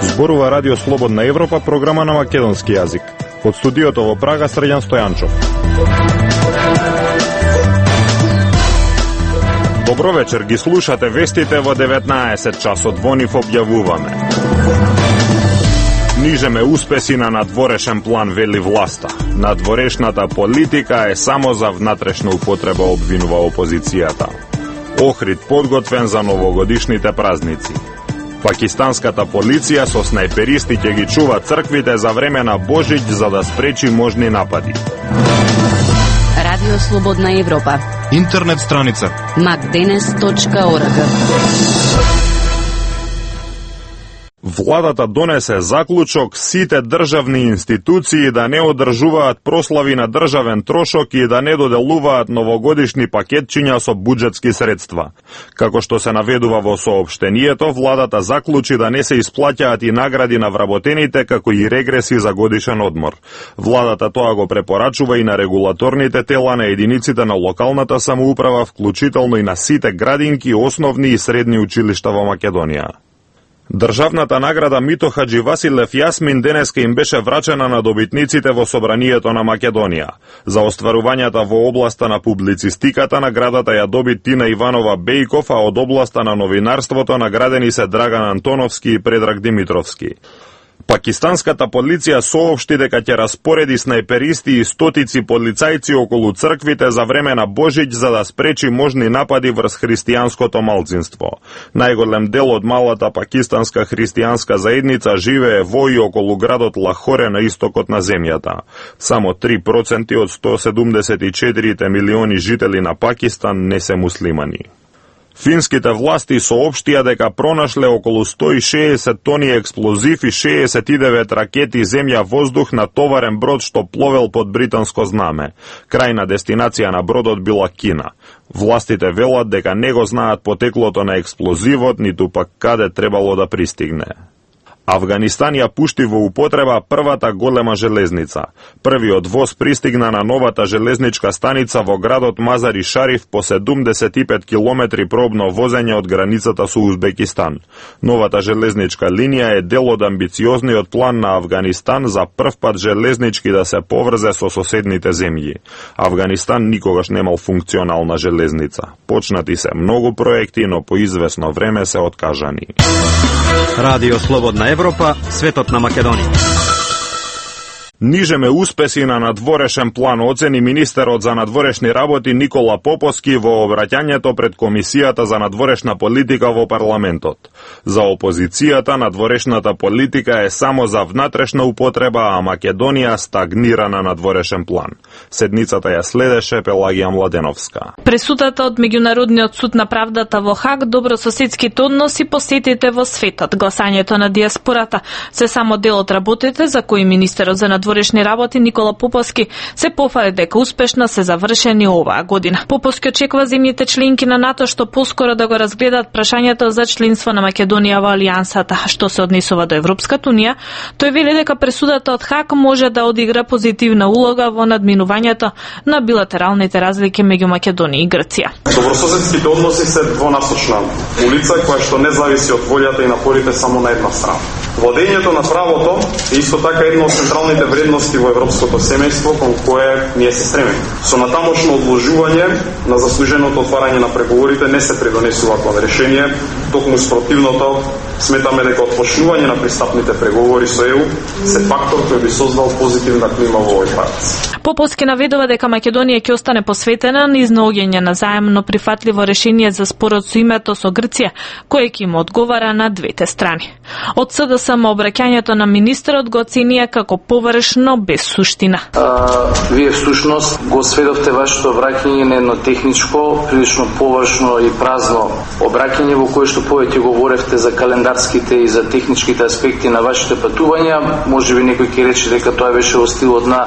Зборува Радио Слободна Европа, програма на македонски јазик. Од студиото во Прага, Срđan Стојанчов. Добро вечер, ги слушате вестите во 19 часот, во нив објавуваме. Нижеме успеси на надворешен план, вели власта. Надворешната политика е само за внатрешна употреба, обвинува опозицијата. Охрид подготвен за новогодишните празници. Пакистанската полиција со снајперисти ќе ги чува црквите за време на Божиќ за да спречи можни напади. Радио Слободна Европа. Интернет страница macdenes.org. Владата донесе заклучок сите државни институции да не одржуваат прослави на државен трошок и да не доделуваат новогодишни пакетчиња со буџетски средства. Како што се наведува во соопштението, владата заклучи да не се исплаќаат и награди на вработените, како и регреси за годишен одмор. Владата тоа го препорачува и на регулаторните тела на единиците на локалната самоуправа, вклучително и на сите градинки, основни и средни училишта во Македонија. Државната награда Мито Хаджи Василев Јасмин денеска им беше врачена на добитниците во Собранието на Македонија. За остварувањата во областа на публицистиката наградата ја доби Тина Иванова Бејков, а од областа на новинарството наградени се Драган Антоновски и Предраг Димитровски. Пакистанската полиција соопшти дека ќе распореди снајперисти и стотици полицајци околу црквите за време на Божиќ за да спречи можни напади врз христијанското малцинство. Најголем дел од малата пакистанска христијанска заедница живее во и околу градот Лахоре на истокот на земјата. Само 3% од 174 милиони жители на Пакистан не се муслимани. Финските власти соопштија дека пронашле околу 160 тони експлозив и 69 ракети земја-воздух на товарен брод што пловел под британско знаме. Крајна дестинација на бродот била Кина. Властите велат дека не го знаат потеклото на експлозивот, ниту пак каде требало да пристигне. Авганистан ја пушти во употреба првата голема железница. Првиот воз пристигна на новата железничка станица во градот Мазари Шариф по 75 километри пробно возење од границата со Узбекистан. Новата железничка линија е дел од амбициозниот план на Авганистан за прв пат железнички да се поврзе со соседните земји. Авганистан никогаш немал функционална железница. Почнати се многу проекти, но по извесно време се откажани. Радио Слободна Европа, светот на Македонија. Нижеме успеси на надворешен план, оцени министерот за надворешни работи Никола Поповски во обраќањето пред Комисијата за надворешна политика во парламентот. За опозицијата надворешната политика е само за внатрешна употреба, а Македонија стагнира на надворешен план. Седницата ја следеше Пелагија Младеновска. Пресудата од Меѓународниот суд на правдата во Хаг, добрососедските односи, посетите во светот, гласањето на диаспората се само дел од работите за кои министерот за надворешни работи Никола Поповски се пофали дека успешно се завршени оваа година. Поповски очекува земјите членки на НАТО што поскоро да го разгледаат прашањето за членство на Македонија во Алијансата. Што се однесува до Европската унија, тој вели дека пресудата од Хаг може да одигра позитивна улога во надминувањето на билатералните разлики меѓу Македонија и Грција. Добрососедските односи се двонасочна улица која што не зависи од волјата и напорите само на една страна. Владењето на правото е исто така една од централните вредности во европското семејство кон кое ние се стремиме. Со натамошно одложување на заслуженото отварање на преговорите не се придонесува кон решение, токму спротивното, сметаме дека отпочнување на пристапните преговори со ЕУ се фактор кој би создал позитивна клима во овој парц. Поповски наведува дека Македонија ќе остане посветена на изнаоѓање на заемно прифатливо решение за спорот со името со Грција, кој ќе им одговара на двете страни. Од СДСМ обраќањето на министерот го оценија како површно без суштина. Вие всушност го сведовте вашето обраќање на едно техничко, прилично површно и празно обраќање во кое што повеќе говоревте за календарските и за техничките аспекти на вашите патувања. Можеби некој ќе рече дека тоа беше во стилот на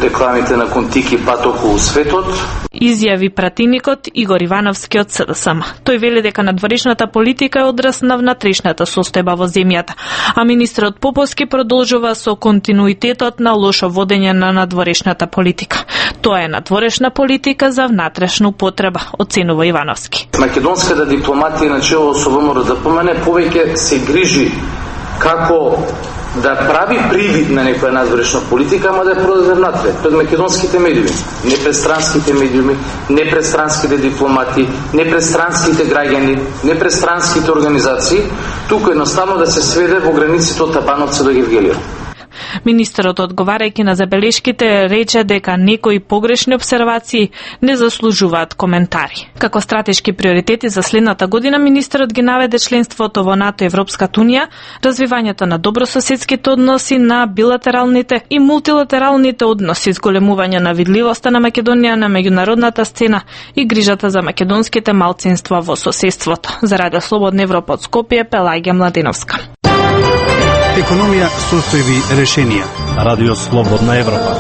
рекламите на Контики пат околу светот. Изјави пратеникот Игор Ивановски од СДСМ. Тој вели дека надворешната политика е одраз на внатрешната состојба во земјата, а министерот Поповски продолжува со континуитетот на лошо водење на надворешната политика. Тоа е надворешна политика за внатрешна употреба, оценува Ивановски. Македонската дипломатија начело со ВМРО ДПМН повеќе се грижи како да прави привид на некоја надворешна политика, ама да ја продаде внатре, пред македонските медиуми, непрестранските медиуми, непрестранските дипломати, непрестранските граѓани, непрестранските организации, туку едноставно да се сведе во границите од Табановци до Гевгелио. Министерот, одговарајќи на забелешките, рече дека некои погрешни обсервации не заслужуваат коментари. Како стратешки приоритети за следната година, министерот ги наведе членството во НАТО и Европската унија, развивањето на добрососедските односи, на билатералните и мултилатералните односи, зголемување на видливоста на Македонија на меѓународната сцена и грижата за македонските малцинства во соседството. За Радио Слободна Европа од Скопје, Пелагија Младеновска. Економија, состојби, решенија. Радио Слободна Европа.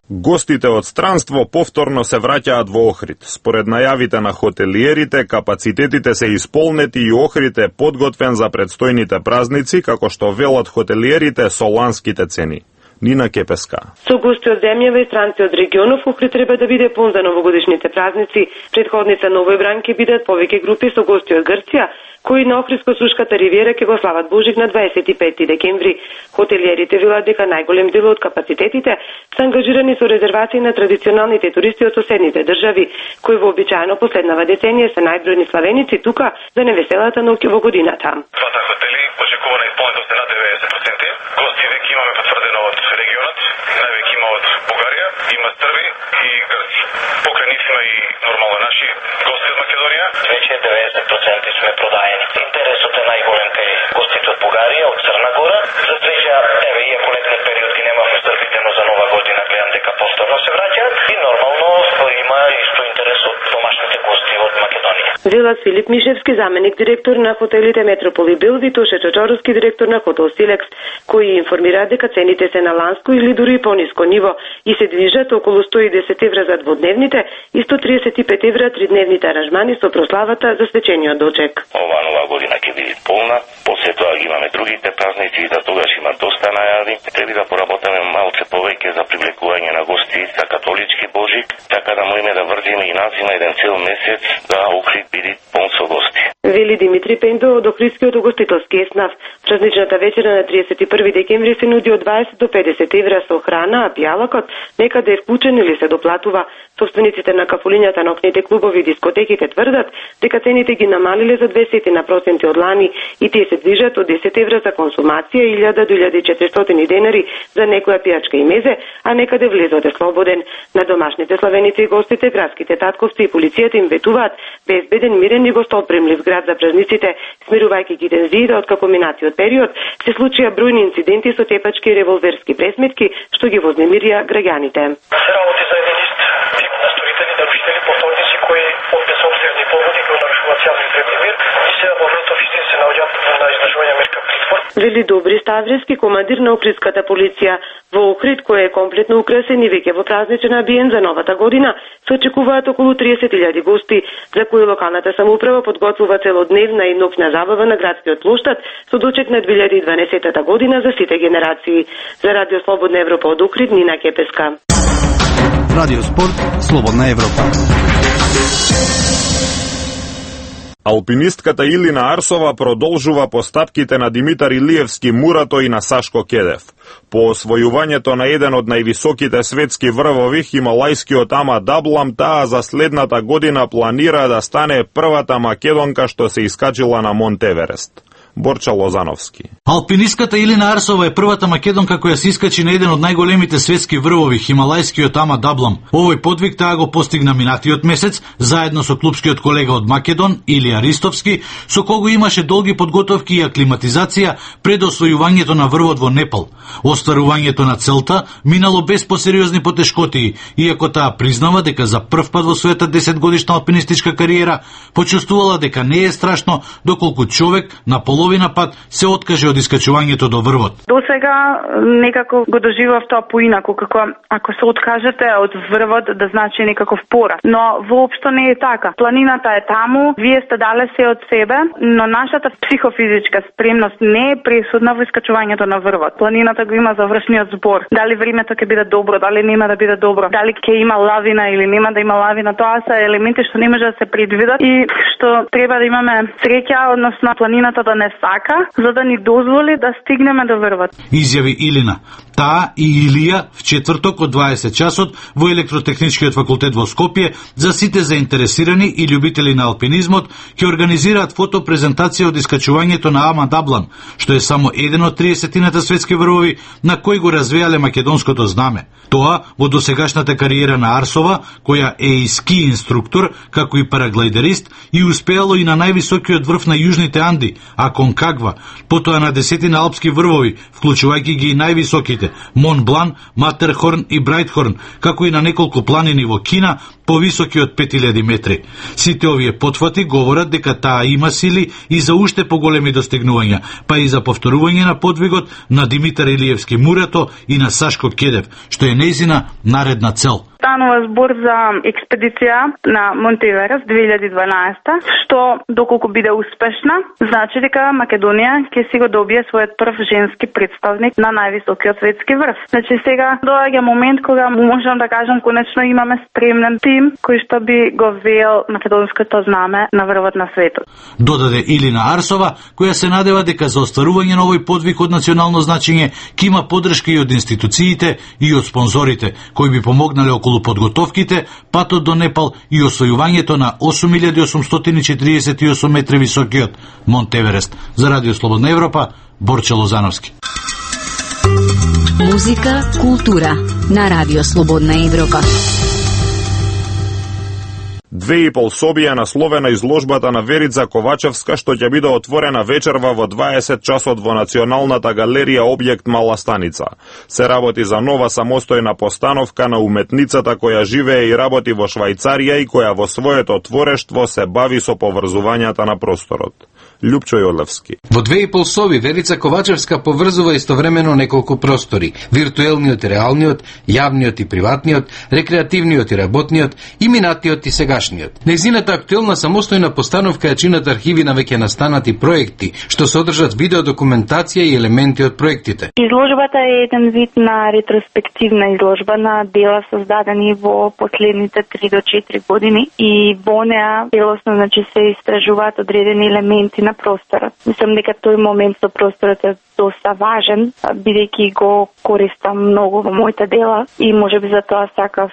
Гостите од странство повторно се враќаат во Охрид. Според најавите на хотелиерите, капацитетите се исполнети и Охрид е подготвен за предстојните празници, како што велат хотелиерите со ланските цени. Нина Кепеска. Со гости од земјава и странци од регионов, Охрид треба да биде пун за новогодишните празници. Предходница на овој бран ќе бидат повеќе групи со гости од Грција, кои на Охридско-Сушката ривиера ќе го слават Божик на 25 декември. Хотелиерите велат дека најголем дел од капацитетите се ангажирани со резервации на традиционалните туристи од соседните држави, кои вообичаено последнава деценија се најбројни славеници тука за невеселата ноќ во годината. Двата хотели очекувана исполнетост е над 90%. Гости веќе имаме потврдено од регионот, највеќе има од Бугарија, има Срби и Грци. Покрај нив има и нормално наши гости од Македонија. Веќе 90% сме продаени. Интересот е најголем кај гостите од Бугарија, од Црна Гора. За среќа, еве, иако летниот период ги немавме србите, но за нова година гледам дека повторно се враќаат и нормално има исто интерес од домашните гости од Македонија. Велат Филип Мишевски, заменик директор на хотелите Метрополи Бил, и Тоше Чочоровски, директор на хотел Силекс, кои информираат дека цените се на ланско или дури пониско ниво и се движат околу 110 евра за дводневните и 135 евра тридневните аранжмани со прославата за свечениот дочек. Ова нова година ќе биде полна, после тоа ги имаме другите празници и за тогаш има доста најави. Треба да поработиме малце повеќе за привлекување на гости за католички Божик, така да можеме да врдиме и назима еден цел месец да Охрид биде пон со гости. Вели Димитри Пендо од Охридскиот угостителски еснав. Празничната вечера на 31 декември се нуди од 20 до 50 евра со храна, а пијалакот некаде е вклучен или се доплатува. Собствениците на кафулињата, ноќните клубови и дискотеките тврдат дека цените ги намалиле за 20% од лани и тие се движат од 10 евра за консумација, 1000 до 1400 денари за некоја пијачка и мезе, а некаде влезот е слободен. На домашните славеници и гостите, градските татковци и полицијата им ветуваат безбеден, мирен и гостопремлив град за празниците, смирувајќи ги тензиите откако минатиот период се случија бројни инциденти со тепачки и револверски пресметки што ги вознемирија граѓаните. Нарушители, повторници кои од безобзирни поводи кои нарушуваат јавен ред и мир и се во моментов истин се наоѓаат на издржување мерка притвор. Вели Добри Ставрески, командир на Охридската полиција. Во Охрид, кој е комплетно украсен и веќе во празничен амбиент за новата година, се очекуваат околу 30.000 гости, за кои локалната самоуправа подготвува целодневна и ноќна забава на градскиот плоштад со дочек на 2012 година за сите генерации. За Радио Слободна Европа од Охрид, Нина Кепеска. Радио Спорт, Слободна Европа. Алпинистката Илина Арсова продолжува постапките на Димитар Илиевски Мурато и на Сашко Кедев. По освојувањето на еден од највисоките светски врвови, хималајскиот Ама Даблам, таа за следната година планира да стане првата македонка што се искачила на Монт Еверест. Борча Лозановски. Алпинистката Илина Арсова е првата македонка која се искачи на еден од најголемите светски врвови, хималајскиот Ама Даблам. Овој подвиг таа го постигна минатиот месец, заедно со клупскиот колега од Македон, Илија Ристовски, со кого имаше долги подготовки и аклиматизација пред освојувањето на врвот во Непал. Остварувањето на целта минало без посериозни потешкоти, иако таа признава дека за прв пат во својата 10-годишна алпинистичка кариера почувствувала дека не е страшно доколку човек на половина пат се откаже од искачувањето до врвот. До сега некако го доживав тоа поинаку, како ако се откажете од врвот да значи некаков пораз. Но воопшто не е така. Планината е таму, вие сте дале се од себе, но нашата психофизичка спремност не е пресудна во искачувањето на врвот. Планината го има завршниот збор. Дали времето ќе биде добро, дали нема да биде добро, дали ќе има лавина или нема да има лавина, тоа се елементи што не може да се предвидат и што треба да имаме среќа, односно планината да не сака, за да ни дозволи да стигнеме до врвот. Изјави Илина. Таа и Илија в четврток од 20 часот во Електротехничкиот факултет во Скопје за сите заинтересирани и љубители на алпинизмот ќе организираат фотопрезентација од искачувањето на Ама Даблан, што е само еден од 30-тината светски врвови на кои го развеале македонското знаме. Тоа во досегашната кариера на Арсова, која е и ски инструктор, како и параглайдерист, и успеало и на највисокиот врв на Јужните Анди, Аконкагва, потоа на десетина алпски врвови, вклучувајќи ги и највисоките Мон Блан, Матерхорн и Брајтхорн, како и на неколку планини во Кина, повисоки од 5000 метри. Сите овие потфати говорат дека таа има сили и за уште поголеми достигнувања, па и за повторување на подвигот на Димитар Илиевски Мурато и на Сашко Кедев, што е нејзина наредна цел. Станува збор за експедиција на Монте Еверест 2012, што доколку биде успешна, значи дека Македонија ќе си го добие својот прв женски представник на највисокиот светски врв. Значи сега доаѓа момент кога можам да кажам конечно имаме спремнен тим кој што би го веел македонското знаме на врвот на светот. Додаде Илина Арсова, која се надева дека за остварување на овој подвиг од национално значење ќе има поддршка и од институциите и од спонзорите, кои би помогнале околу подготовките, патот до Непал и освојувањето на 8848 метри високиот Монте Еверест. За Радио Слободна Европа, Борче Лозановски. Музика, култура на Радио Слободна Европа. 2,5 собија насловена изложбата на Верица Ковачевска, што ќе биде отворена вечерва во 20 часот во Националната галерија објект Мала Станица. Се работи за нова самостојна постановка на уметницата која живее и работи во Швајцарија и која во своето творештво се бави со поврзувањата на просторот. Љупчо Јолевски. Во 2,5 соби Верица Ковачевска поврзува истовремено неколку простори: виртуелниот и реалниот, јавниот и приватниот, рекреативниот и работниот, и минатиот и сегашниот. Нејзината актуелна самостојна постановка ја чинат архиви на веќе настанати проекти, што содржат видеодокументација и елементи од проектите. Изложбата е еден вид на ретроспективна изложба на дела создадени во последните 3 до 4 години и во неа целосно се истражуваат одредени елементи на просторот. Мислам дека тој момент со просторот е доста важен, бидејќи го користам многу во моите дела и можеби затоа сакав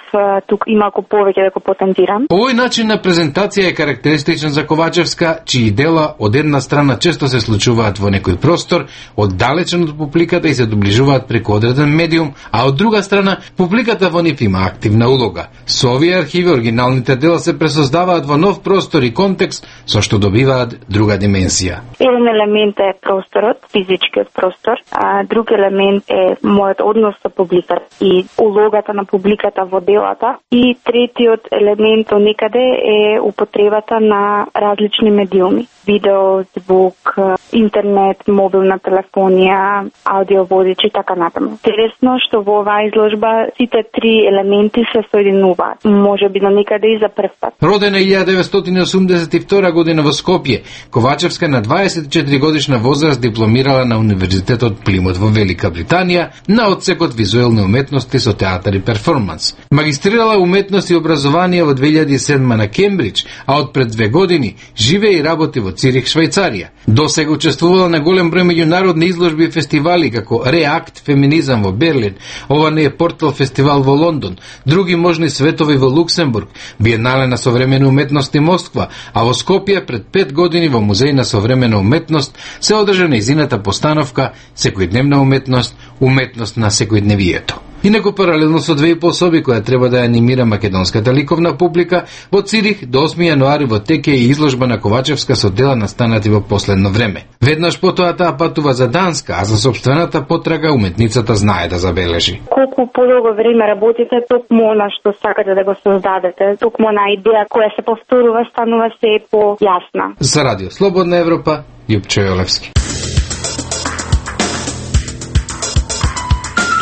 тук и малку повеќе да го потенцирам. Овој начин на презентација е карактеристичен за Ковачевска, чии дела од една страна често се случуваат во некој простор, оддалечен од публиката и се доближуваат преку одреден медиум, а од друга страна публиката во нив има активна улога. Со овие архиви оригиналните дела се пресоздаваат во нов простор и контекст, со што добиваат друга дименсија. Еден елемент е просторот, физичкиот простор, а друг елемент е мојот однос со публиката и улогата на публиката во делата, и третиот елемент некаде е употребата на различни медиуми: видео, звук, интернет, мобилна телефонија, аудиоводичи и така натаму. Интересно што во оваа изложба сите три елементи се соединуваат, можеби на некаде и за прв пат. Родена 1982 година во Скопје, Ковачевска на 24 годишна возраст дипломирала на Универзитетот Плимут во Велика Британија на одсекот визуелни уметности со театар и перформанс. Магистрирала уметност и образование во 2007 на Кембридж, а од пред 2 години живее и работи во Цирих, Швајцарија. Досега учествувала на голем број меѓународни изложби и фестивали како Реакт феминизам во Берлин, ова не е Портал фестивал во Лондон, други можни светови во Луксембург, Биенале на современи уметности Москва, а во Скопје пред 5 години во Музеј на современа уметност се одржа нејзината постановка Секојдневна уметност, уметност на секојдневието. Инаку паралелно со 2,5 соби која треба да анимира македонската ликовна публика, во Цирих до 8 јануари во тек е изложба на Ковачевска со дела настанати во последно време. Веднаш потоа таа патува за Данска, а за собствената потрага уметницата знае да забележи. Колку подолго време работите, токму она што сакате да го создадете, токму на идеја која се повторува, станува се појасна. За Радио Слободна Европа, Љупчо Јолевски.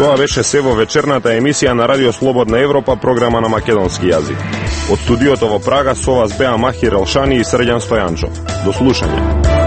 Тоа беше се во вечерната емисија на Радио Слободна Европа, програма на македонски јазик. Од студиото во Прага со вас беа Махир Елшани и Срđan Стојанчов. До слушање.